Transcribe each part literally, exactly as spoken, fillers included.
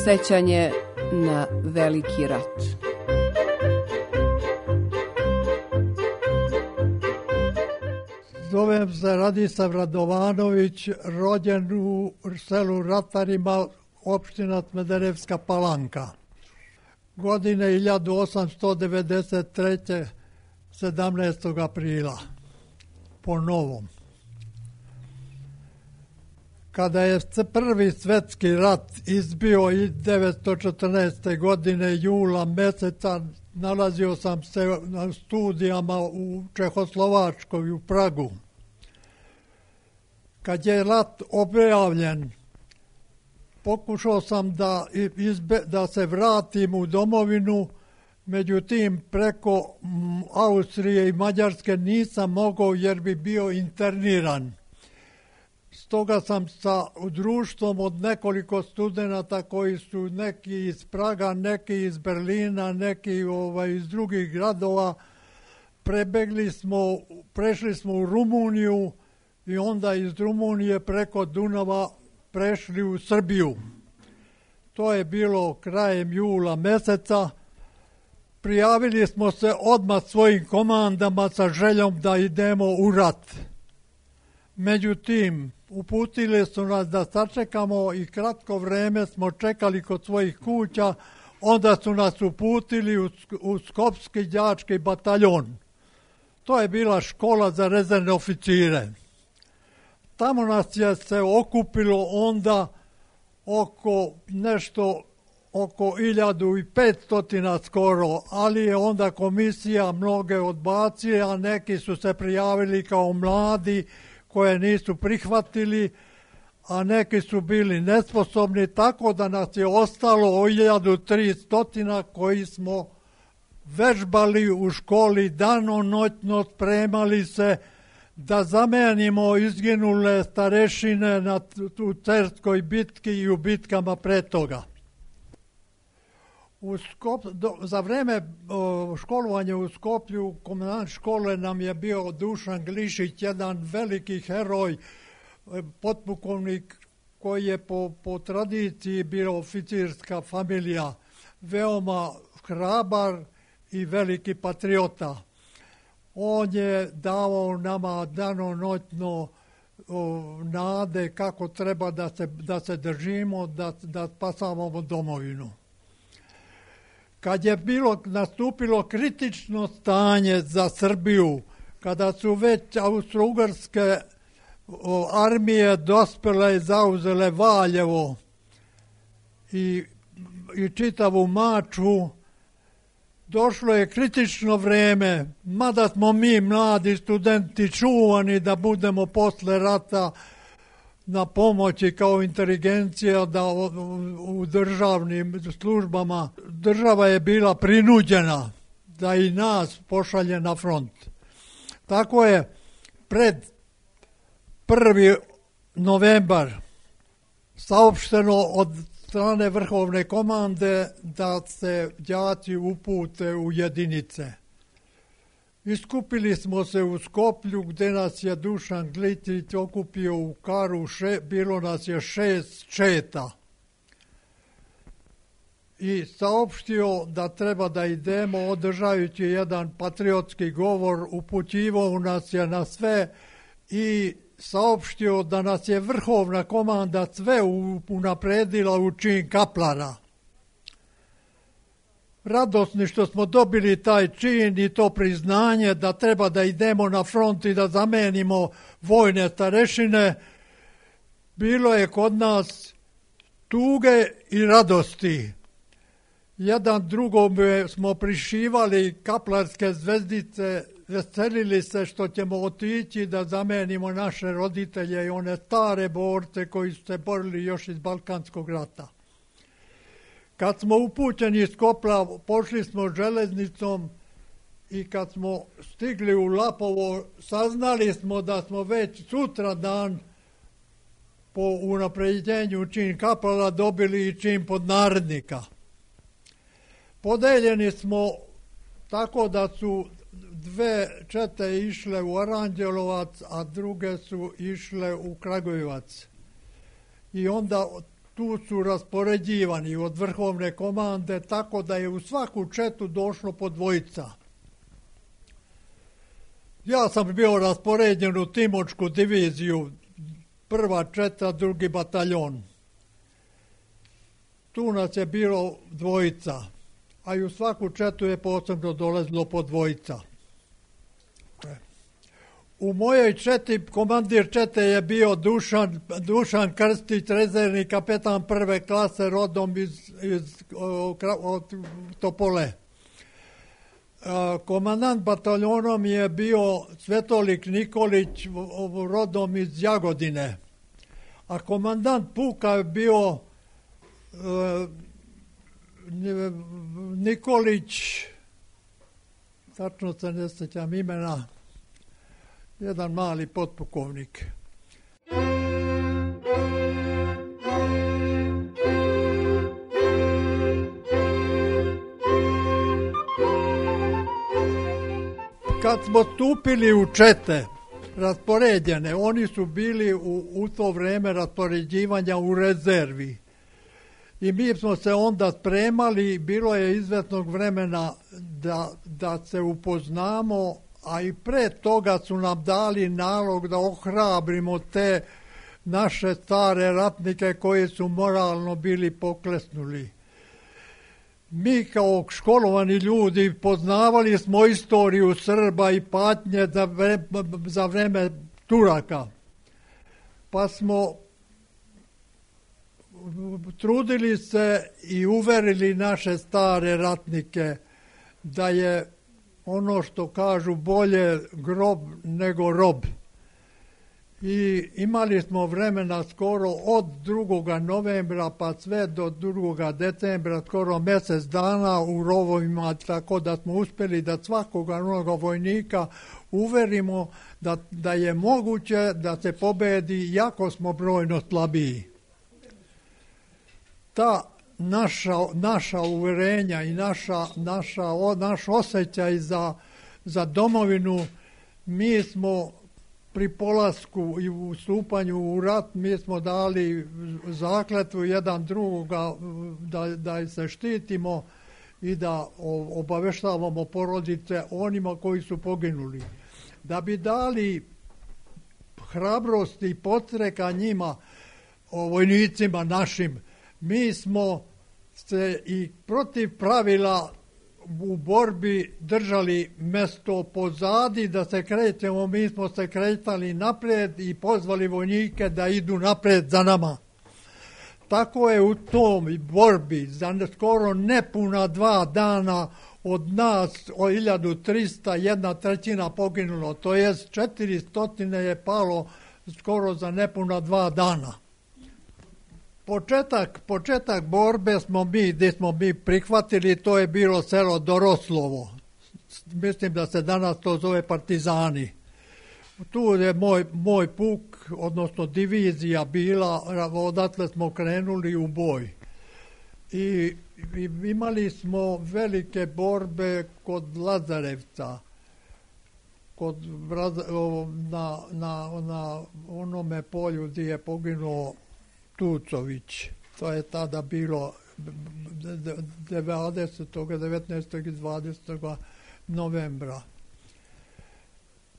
Sećanje na veliki rat. Zovem se Radislav Radovanović, rođen u selu Ratarima, opština Smederevska Palanka. Godine hiljadu osamsto devedeset treće. sedamnaestog aprila, po novom. Kada je prvi svetski rat izbio devetsto četrnaeste. godine, jula meseca, nalazio sam se na studijama u Čehoslovačkoj, u Pragu. Kad je rat objavljen, pokušao sam da, izbe, da se vratim u domovinu, međutim preko Austrije i Mađarske nisam mogao jer bi bio interniran. Stoga sam sa društvom od nekoliko studenata koji su neki iz Praga, neki iz Berlina, neki ovaj, iz drugih gradova, prebegli smo, prešli smo u Rumuniju i onda iz Rumunije preko Dunava prešli u Srbiju. To je bilo krajem jula meseca. Prijavili smo se odmah svojim komandama sa željom da idemo u rat. Međutim, uputili su nas da sačekamo i kratko vreme smo čekali kod svojih kuća, onda su nas uputili u, u Skopski đački bataljon. To je bila škola za rezervne oficire. Tamo nas je se okupilo onda oko nešto oko hiljadu petsto skoro, ali je onda komisija mnoge odbacila, a neki su se prijavili kao mladi koje nisu prihvatili, a neki su bili nesposobni, tako da nas je ostalo hiljadu tristo koji smo vežbali u školi danonoćno, spremali se da zamenimo izginule starešine na, u Cerskoj bitki i u bitkama pre toga. U Skop, do, za vreme o, školovanja u Skoplju, komandant škole nam je bio Dušan Glišić, jedan veliki heroj, potpukovnik koji je po, po tradiciji bio oficirska familija, veoma hrabar i veliki patriota. On je davao nama danonoćno nade kako treba da se, da se držimo, da, da spasavamo domovinu. Kad je bilo nastupilo kritično stanje za Srbiju, kada su već austro-ugarske armije dospele i zauzele Valjevo i, i čitavu Mačvu, došlo je kritično vreme, mada smo mi mladi studenti čuvani da budemo posle rata na pomoći kao inteligencija da u državnim službama. Država je bila prinuđena da i nas pošalje na front. Tako je pred prvi novembar saopšteno od strane vrhovne komande da se đaci upute u jedinice. Iskupili smo se u Skoplju gdje nas je Dušan Glišić okupio u karu, še, bilo nas je šest četa. I saopštio da treba da idemo, održajući jedan patriotski govor, upućivao nas je na sve i saopštio da nas je vrhovna komanda sve unapredila u čin kaplara. Radosni što smo dobili taj čin i to priznanje da treba da idemo na front i da zamenimo vojne starešine, bilo je kod nas tuge i radosti. Jedan drugom smo prišivali kaplarske zvezdice, veselili se što ćemo otići da zamenimo naše roditelje i one stare borce koji su se borili još iz Balkanskog rata. Kad smo upućeni iz Skopla, pošli smo železnicom i kad smo stigli u Lapovo, saznali smo da smo već sutra dan po unapređenju čin kaplara dobili i čin podnarednika. Podeljeni smo tako da su dve čete išle u Aranđelovac, a druge su išle u Kragujevac. I onda tu su raspoređivani od vrhovne komande, tako da je u svaku četu došlo po dvojica. Ja sam bio raspoređen u Timočku diviziju, prva četa, drugi bataljon. Tu nas je bilo dvojica, a i u svaku četu je posebno dolazilo po dvojica. U mojoj četi, komandir čete je bio Dušan, Dušan Krstić, rezervni kapetan prve klase, rodom iz, iz od Topole. Komandant bataljonom je bio Svetolik Nikolić, rodom iz Jagodine. A komandant puka je bio Nikolić, tačno se ne sjećam imena, jedan mali potpukovnik. Kad smo stupili u čete raspoređene, oni su bili u, u to vreme raspoređivanja u rezervi. I mi smo se onda spremali, bilo je izvesnog vremena da, da se upoznamo, a i pre toga su nam dali nalog da ohrabrimo te naše stare ratnike koji su moralno bili poklesnuli. Mi kao školovani ljudi poznavali smo istoriju Srba i patnje za vreme, za vreme Turaka. Pa smo trudili se i uverili naše stare ratnike da je ono što kažu bolje grob nego rob. I imali smo vremena skoro od drugoga novembra pa sve do drugoga decembra, skoro mjesec dana u rovovima, tako da smo uspjeli da svakoga onoga vojnika uverimo da, da je moguće da se pobedi, jako smo brojno slabiji. Ta naša, naša uverenja i naša, naša, o, naš osjećaj za, za domovinu, mi smo pri polasku i u stupanju u rat, mi smo dali zakletvu jedan drugoga da, da se štitimo i da obaveštavamo porodice onima koji su poginuli. Da bi dali hrabrost i podstreka njima, vojnicima našim, mi smo se i protiv pravila u borbi držali mesto pozadi da se krećemo, mi smo se kretali naprijed i pozvali vojnike da idu naprijed za nama. Tako je u tom borbi za skoro nepuna dva dana od nas o hiljadu trista jedna trećina poginulo, to jest četiristo je palo skoro za nepuna dva dana. Početak, početak borbe smo mi, gdje smo mi prihvatili, to je bilo selo Doroslovo. Mislim da se danas to zove Partizani. Tu je moj, moj puk, odnosno divizija bila, odatle smo krenuli u boj. I, i imali smo velike borbe kod Lazarevca, kod, na, na, na onome polju gdje je poginuo Tucović. To je tada bilo devedesetog, devetnaestog i dvadesetog novembra.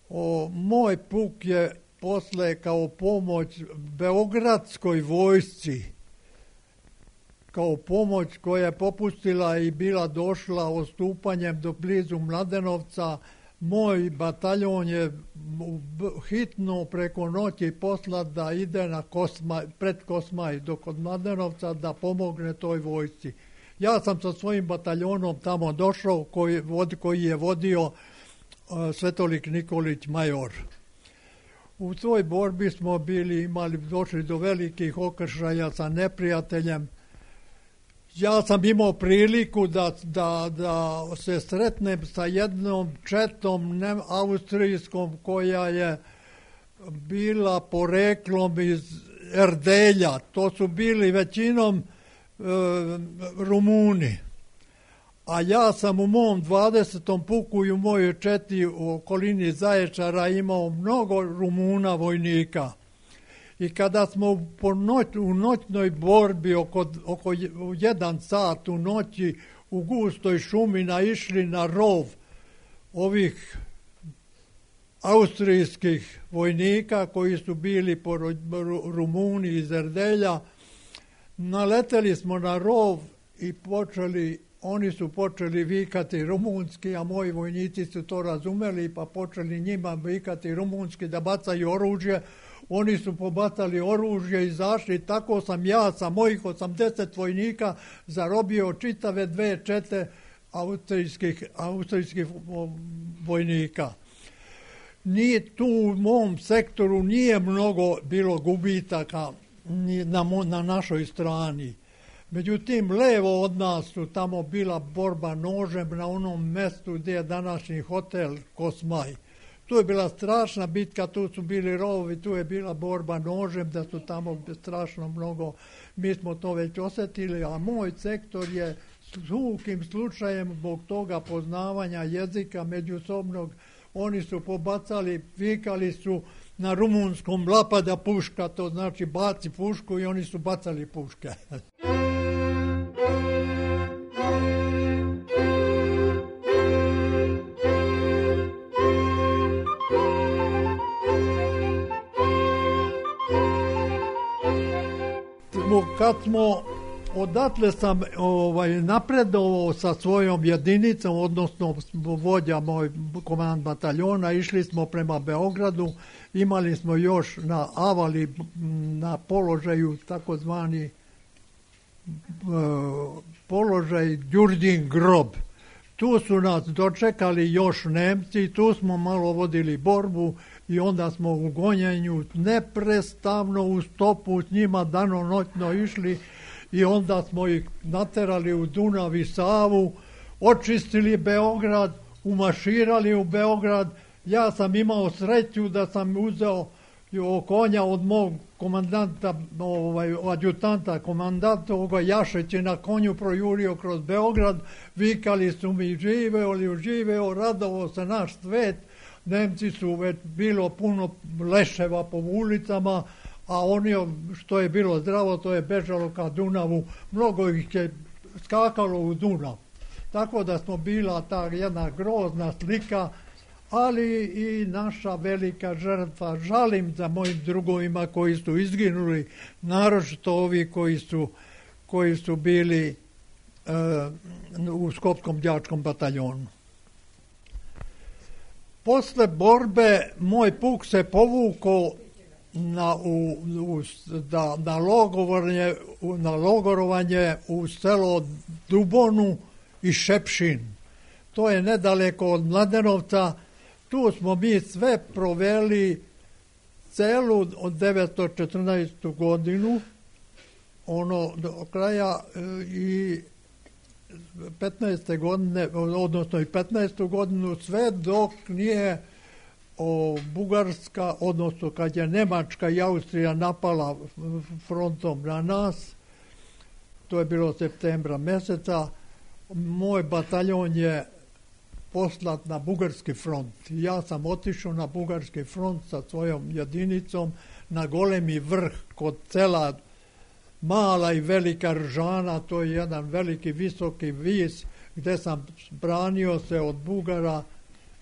O, moj puk je posle kao pomoć Beogradskoj vojsci, kao pomoć koja je popustila i bila došla ostupanjem do blizu Mladenovca, moj bataljon je hitno preko noći poslat da ide na Kosmaj, pred Kosmaj do kod Mladenovca da pomogne toj vojsci. Ja sam sa svojim bataljonom tamo došao koji, koji je vodio uh, Svetolik Nikolić major. U toj borbi smo bili, imali, došli do velikih okršaja sa neprijateljem. Ja sam imao priliku da, da, da se sretnem sa jednom četom ne, austrijskom koja je bila poreklom iz Erdelja. To su bili većinom e, Rumuni. a ja sam u mom dvadesetom puku i u mojoj četi u okolini Zaječara imao mnogo Rumuna vojnika. I kada smo po noć, u noćnoj borbi oko, oko jedan sat u noći u gustoj šumi naišli na rov ovih austrijskih vojnika koji su bili po Rumuni iz Erdelja, naleteli smo na rov i počeli, oni su počeli vikati rumunski, a moji vojnici su to razumeli pa počeli njima vikati rumunski da bacaju oružje. Oni su pobacali oružje i izašli, tako sam ja sa mojih osamdeset vojnika zarobio čitave dve čete austrijskih, austrijskih vojnika. Nije tu u mom sektoru nije mnogo bilo gubitaka na, na našoj strani. Međutim, levo od nas su tamo bila borba nožem na onom mestu gdje je današnji hotel Kosmaj. Tu je bila strašna bitka, tu su bili rovovi, tu je bila borba nožem, da su tamo strašno mnogo. Mi smo to već osjetili, a moj sektor je svukim slučajem zbog toga poznavanja jezika međusobnog. Oni su pobacali, vikali su na rumunskom lapada puška, to znači baci pušku i oni su bacali puške. Kad smo, odatle sam ovaj, napredovao sa svojom jedinicom, odnosno vođa moj komandant bataljona, išli smo prema Beogradu, imali smo još na Avali, na položaju takozvani uh, položaj Đurđin grob. Tu su nas dočekali još Nemci, tu smo malo vodili borbu i onda smo u gonjenju neprestavno u stopu s njima danonoćno išli i onda smo ih naterali u Dunav i Savu, očistili Beograd, umaširali u Beograd. Ja sam imao sreću da sam uzeo konja od mog komandanta, ovaj, adjutanta, komandanta ovoga Jašeć je na konju projurio kroz Beograd, vikali su mi živeo li uživeo, radovao se naš svet. Nemci su već bilo puno leševa po ulicama, a oni što je bilo zdravo to je bežalo ka Dunavu, mnogo ih je skakalo u Dunav. Tako da smo bila ta jedna grozna slika, ali i naša velika žrtva. Žalim za mojim drugovima koji su izginuli, naročito ovi koji su, koji su bili uh, u Skopskom đačkom bataljonu. Posle borbe moj puk se povukao na, u, u, da, na, logorovanje, na logorovanje u selo Dubonu i Šepšin. To je nedaleko od Mladenovca. Tu smo mi sve proveli celu od devetsto četrnaestu godinu, ono do kraja i petnaeste godine, odnosno i petnaestu godinu, sve dok nije o, Bugarska, odnosno kad je Nemačka i Austrija napala frontom na nas, to je bilo septembra meseca, moj bataljon je poslat na Bugarski front. Ja sam otišao na Bugarski front sa svojom jedinicom na Golemi vrh kod sela Mala i Velika Ržana, to je jedan veliki visoki vis gdje sam branio se od Bugara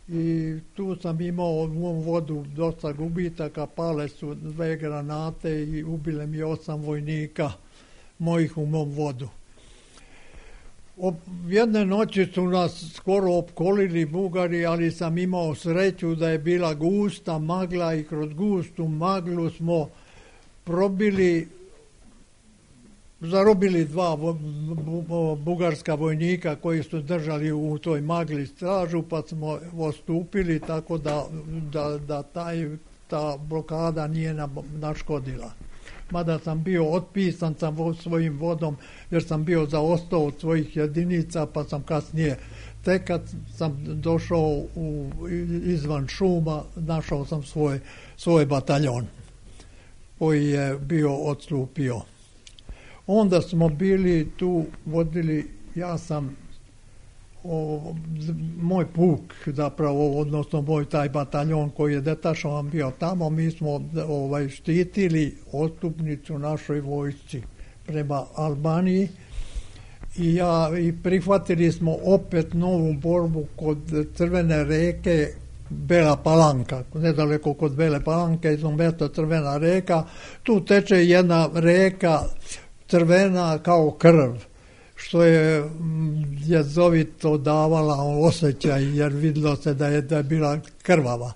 i tu sam imao u mom vodu dosta gubitaka, pale su dve granate i ubile mi osam vojnika mojih u mom vodu. Jedne noći su nas skoro opkolili Bugari, ali sam imao sreću da je bila gusta magla i kroz gustu maglu smo probili, zarobili dva bugarska vojnika koji su držali u toj magli stražu, pa smo ostupili tako da, da, da taj, ta blokada nije naškodila. Mada sam bio otpisan sam svojim vodom jer sam bio zaostao od svojih jedinica, pa sam kasnije, tek kad sam došao u, izvan šuma, našao sam svoj, svoj bataljon koji je bio odstupio. Onda smo bili tu, vodili, ja sam o, moj puk, zapravo, odnosno moj taj bataljon koji je detašovan bio tamo, mi smo ovaj, štitili odstupnicu našoj vojsci prema Albaniji i, ja, i prihvatili smo opet novu borbu kod Crvene reke, Bela Palanka, nedaleko kod Bele Palanke, izom mjesto Crvena reka, tu teče jedna reka crvena kao krv, što je jezovito davala osjećaj, jer vidjelo se da je, da je bila krvava.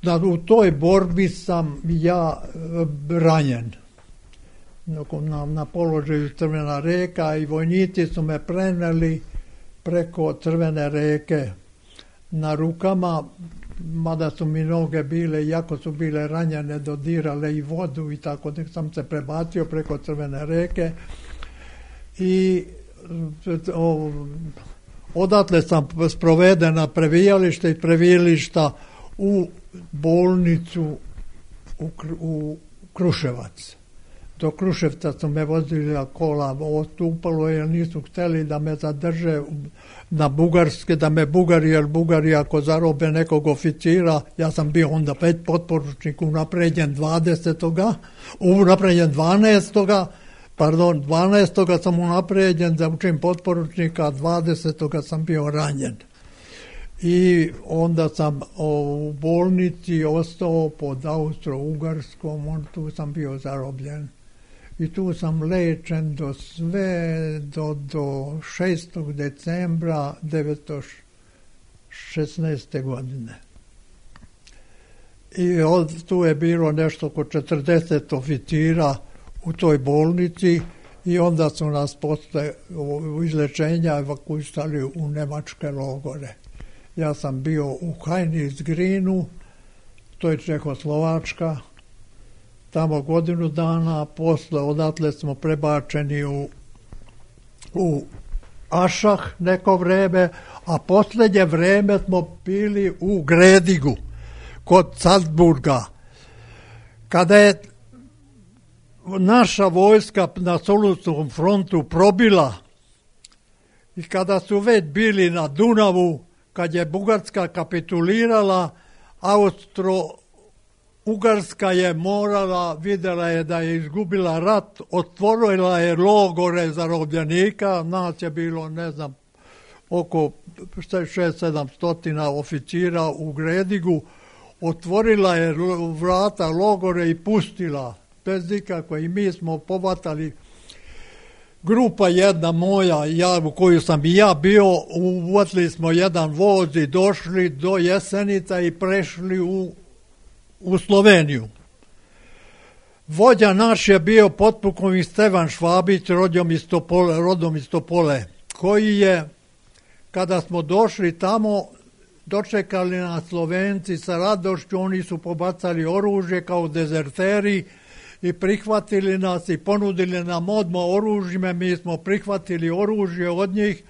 Da, u toj borbi sam ja ranjen na, na položaju Crvena reka i vojnici su me preneli preko Crvene reke na rukama, mada su mi noge bile, iako su bile ranjene, dodirale i vodu i tako da sam se prebacio preko Crvene reke i o, odatle sam sproveden na previjalište i previjališta u bolnicu u, u Kruševac. Do Kruševca su me vozili kola, ostupalo jer nisu htjeli da me zadrže na Bugarske, da me Bugari, jer Bugari ako zarobe nekog oficira, ja sam bio onda pet potporučnik unapređen dvadesetoga unapređen dvanaestoga pardon, dvanaestoga sam unapređen za učin potporučnika, a dvadesetoga sam bio ranjen. I onda sam o, u bolnici ostao pod Austro-Ugarskom, tu sam bio zarobljen. I tu sam lečen do sve, do, do šestog decembra devetsto šesnaeste. godine. I od, tu je bilo nešto oko četrdeset oficira u toj bolnici i onda su nas posle u izlečenja evakuisali u nemačke logore. Ja sam bio u Heinisgrinu, to je Čehoslovačka, tamo godinu dana, posle odatle smo prebačeni u, u Ašah neko vreme, a posljednje vreme smo bili u Gredigu, kod Salzburga. Kada je naša vojska na Solunskom frontu probila i kada su već bili na Dunavu, kad je Bugarska kapitulirala, Austro-Ugarska je morala, vidjela je da je izgubila rat, otvorila je logore zarobljenika, nas je bilo, ne znam, oko šest sedam stotina oficira u Gredigu, otvorila je vrata logore i pustila, bez nikako, i mi smo povatali. Grupa jedna moja, ja, u koju sam i ja bio, uvatili smo jedan voz i došli do Jesenica i prešli u, u Sloveniju. Vođa naš je bio potpukovnik Stevan Švabić, rodom iz Topole, rodom iz Topole, koji je, kada smo došli tamo, dočekali nas Slovenci sa radošću, oni su pobacali oružje kao dezerteri, i prihvatili nas i ponudili nam odmah oružje, mi smo prihvatili oružje od njih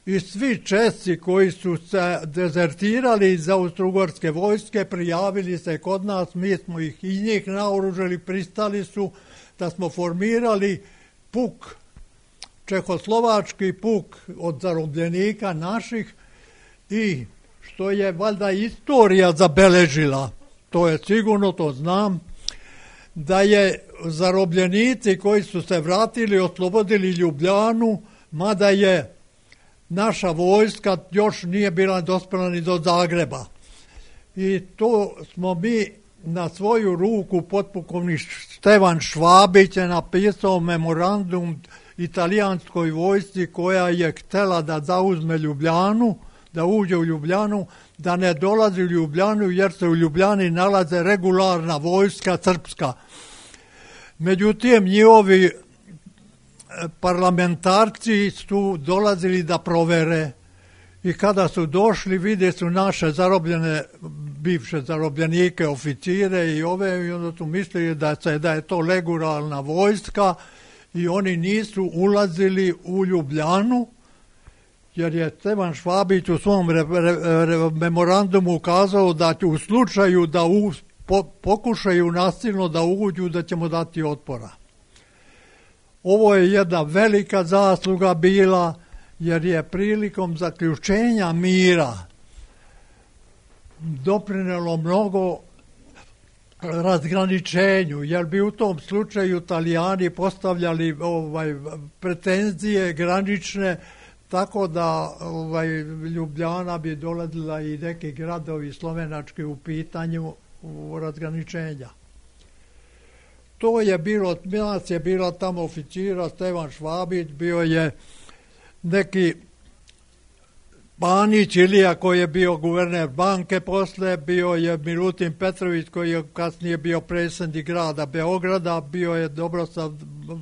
i svi Česi koji su se dezertirali iz Austro-Ugarske vojske prijavili se kod nas, mi smo ih i njih naoružili, pristali su da smo formirali puk, čehoslovački puk od zarobljenika naših i što je valjda istorija zabeležila, to je sigurno, to znam, da je zarobljenici koji su se vratili, oslobodili Ljubljanu, mada je naša vojska još nije bila dospjela ni do Zagreba. I to smo mi na svoju ruku, potpukovnik Stevan Švabić je napisao memorandum italijanskoj vojsci koja je htjela da zauzme Ljubljanu, da uđe u Ljubljanu, da ne dolazi u Ljubljanu jer se u Ljubljani nalaze regularna vojska srpska. Međutim, njihovi parlamentarci su dolazili da provere i kada su došli vide su naše zarobljene, bivše zarobljenike, oficire i ove, i onda su mislili da, se, da je to regularna vojska i oni nisu ulazili u Ljubljanu, jer je Stevan Švabić u svom re, re, re, memorandumu ukazao da u slučaju da u, po, pokušaju nasilno da uđu, da ćemo dati otpora. Ovo je jedna velika zasluga bila, jer je prilikom zaključenja mira doprinelo mnogo razgraničenju, jer bi u tom slučaju Italijani postavljali ovaj, pretenzije granične, tako da ovaj, Ljubljana bi dolazila i neki gradovi slovenački u pitanju u razgraničenja. To je bilo, nas je bila tamo oficira Stevan Švabić, bio je neki Panić Ilija koji je bio guverner banke posle, bio je Milutin Petrović koji je kasnije bio predsjednik grada Beograda, bio je Dobrosav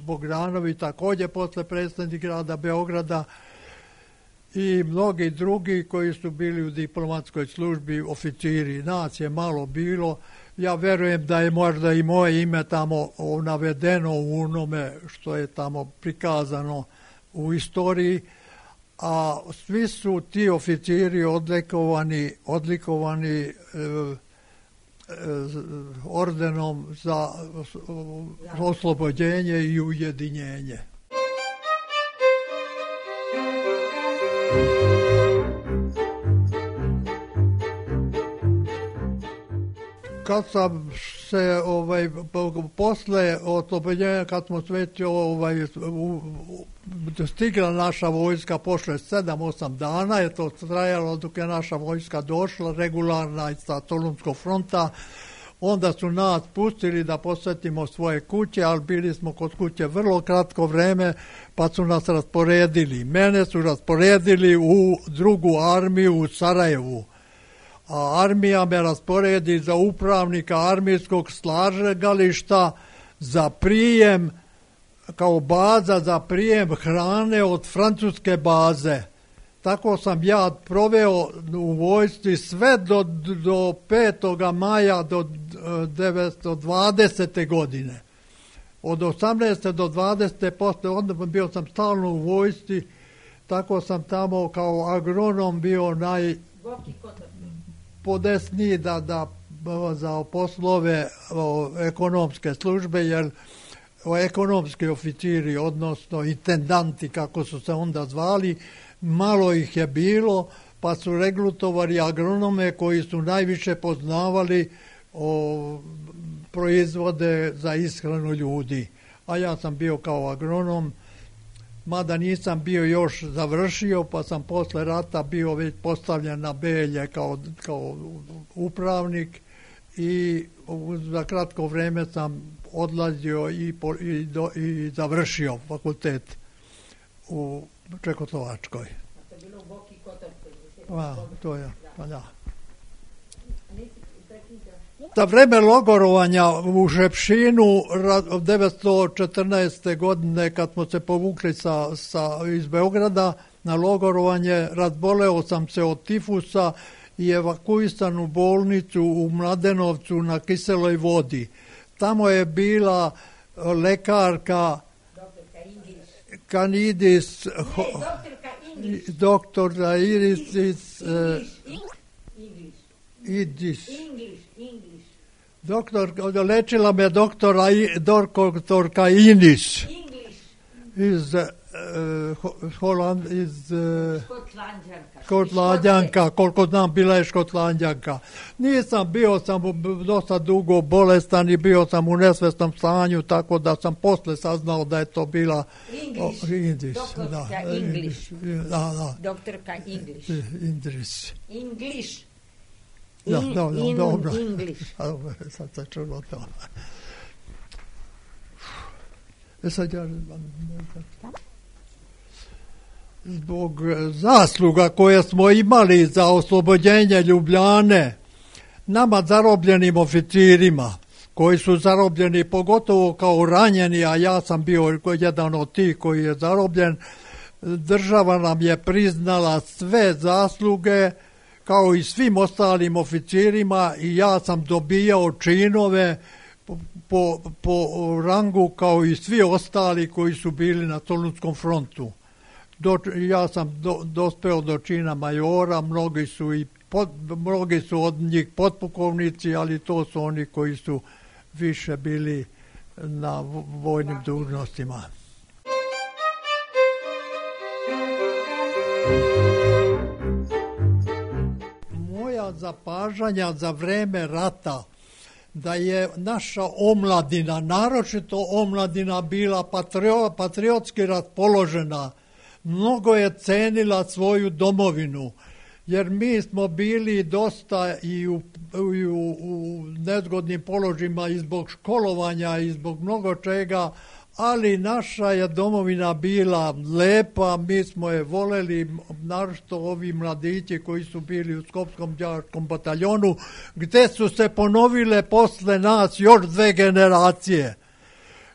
Bogdanović također posle predsjednik grada Beograda i mnogi drugi koji su bili u diplomatskoj službi, oficiri. Nas je malo bilo. Ja verujem da je možda i moje ime tamo navedeno u onome što je tamo prikazano u istoriji, a svi su ti oficiri odlikovani, odlikovani e, e, ordenom za oslobođenje i ujedinjenje. Kad sam se ovaj posle oslobođenja, kad smo već ovaj stigla naša vojska, pošle sedam osam dana je to trajalo dok je naša vojska došla regularna sa Solunskog fronta, onda su nas pustili da posjetimo svoje kuće, ali bili smo kod kuće vrlo kratko vreme, pa su nas rasporedili. Mene su rasporedili u drugu armiju u Sarajevu. A armija me rasporedi za upravnika armijskog slagališta za prijem, kao baza za prijem hrane od francuske baze. Tako sam ja proveo u vojsci sve do, do petog maja do devetsto dvadesete. godine. Od osamnaeste do dvadesete posle, onda bio sam stalno u vojsci, tako sam tamo kao agronom bio naj... podesniji da, da za poslove o, ekonomske službe, jer o, ekonomski oficiri, odnosno intendanti, kako su se onda zvali, malo ih je bilo, pa su regrutovali agronome koji su najviše poznavali o, proizvode za ishranu ljudi. A ja sam bio kao agronom, mada nisam bio još završio, pa sam posle rata bio već postavljen na Belje kao, kao upravnik i za kratko vreme sam odlazio i, po, i, do, i završio fakultet u Čekoslovačkoj. A, to je, pa da. Za vreme logorovanja u Žepšinu devetsto četrnaeste. godine, kad smo se povukli sa, sa, iz Beograda na logorovanje, razboleo sam se od tifusa i evakuisan u bolnicu u Mladenovcu na kiseloj vodi. Tamo je bila lekarka Kanidis, doktorka Iris iz Idis. Doktor, lečila me doktora, doktorka Inis iz uh, Holand, iz uh, Škotlandjanka, koliko znam bila je Škotlandjanka. Nisam, bio sam dosta dugo bolestan i bio sam u nesvesnom stanju, tako da sam posle saznao da je to bila English, oh, Indis, doktorka da, English. Da, da. Doktorka English. Indris. English. Da, In, da, da, in dobro. English. Sad se čulo to. E sad ja... Zbog zasluga koje smo imali za oslobođenje Ljubljane, nama zarobljenim oficirima, koji su zarobljeni pogotovo kao ranjeni, a ja sam bio jedan od tih koji je zarobljen, država nam je priznala sve zasluge, kao i svim ostalim oficirima, i ja sam dobijao činove po, po, po rangu kao i svi ostali koji su bili na Solunskom frontu. Do, ja sam do, dospeo do čina majora, mnogi su, i pod, mnogi su od njih potpukovnici, ali to su oni koji su više bili na vojnim dužnostima. Moja zapažanja za vreme rata da je naša omladina, naročito omladina, bila patrio, patriotski raspoložena, mnogo je cenila svoju domovinu, jer mi smo bili dosta i u, i u, u nezgodnim položajima i zbog školovanja i zbog mnogo čega, ali naša je domovina bila lepa, mi smo je voleli, naročito ovi mladići koji su bili u Skopskom đačkom bataljonu, gde su se ponovile posle nas još dve generacije.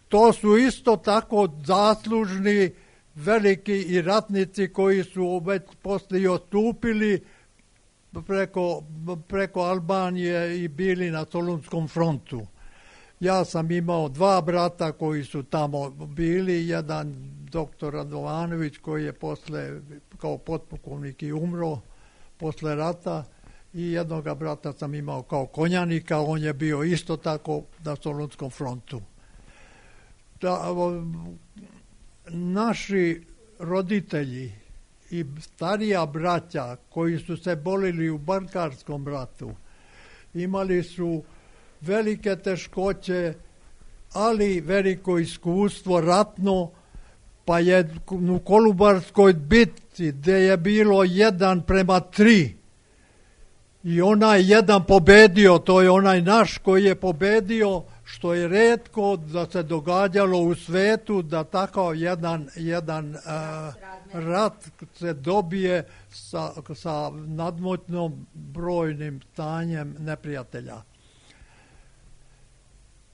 To su isto tako zaslužni veliki i ratnici koji su već posle i odstupili preko, preko Albanije i bili na Solunskom frontu. Ja sam imao dva brata koji su tamo bili, jedan doktor Radovanović koji je posle kao potpukovnik i umro posle rata i jednoga brata sam imao kao konjanika, on je bio isto tako na Solunskom frontu. Da, naši roditelji i starija braća koji su se borili u Balkanskom ratu imali su velike teškoće, ali veliko iskustvo ratno, pa je u Kolubarskoj bitci gde je bilo jedan prema tri i onaj jedan pobedio, to je onaj naš koji je pobedio, što je retko da se događalo u svetu da takav jedan, jedan uh, rat se dobije sa, sa nadmoćnom brojnim stanjem neprijatelja.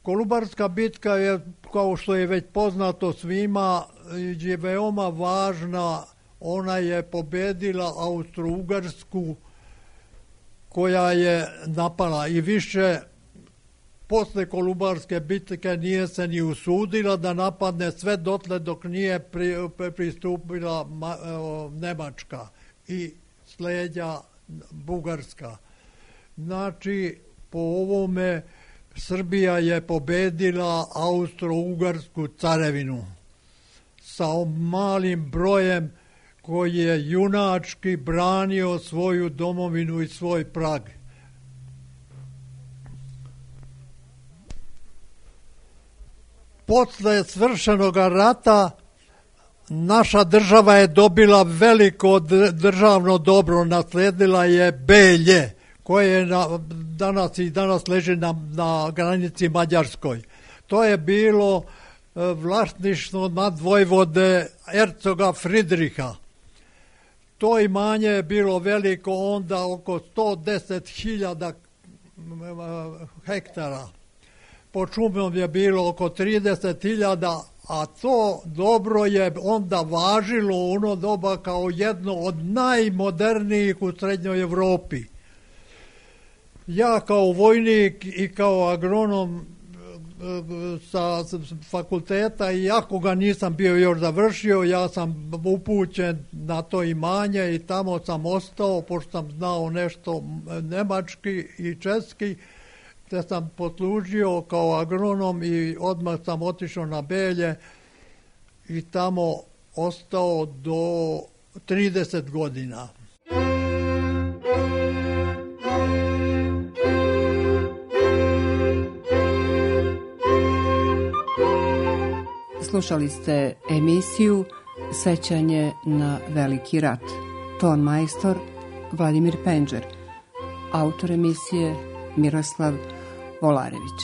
Kolubarska bitka je, kao što je već poznato svima, je veoma važna. Ona je pobedila Austro-Ugarsku koja je napala i više posle Kolubarske bitke nije se ni usudila da napadne sve dotle dok nije pri, pristupila ma, o, Nemačka i sleđa Bugarska. Znači, po ovome Srbija je pobedila Austro-Ugarsku carevinu sa malim brojem koji je junački branio svoju domovinu i svoj prag. Posle svršenog rata naša država je dobila veliko državno dobro, nasledila je Belje, koje je na, danas i danas leži na, na granici Mađarskoj. To je bilo e, vlasništvo nadvojvode hercoga Fridriha. To imanje je bilo veliko onda oko sto deset hiljada hektara. Po šumom je bilo oko trideset hiljada, a to dobro je onda važilo u ono doba kao jedno od najmodernijih u Srednjoj Evropi. Ja kao vojnik i kao agronom sa fakulteta, iako ga nisam bio još završio, ja sam upućen na to imanje i tamo sam ostao, pošto sam znao nešto nemački i česki, te sam poslužio kao agronom i odmah sam otišao na Belje i tamo ostao do trideset godina. Slušali ste emisiju Sećanje na veliki rat. Ton majstor Vladimir Penđer. Autor emisije Miroslav Volarević.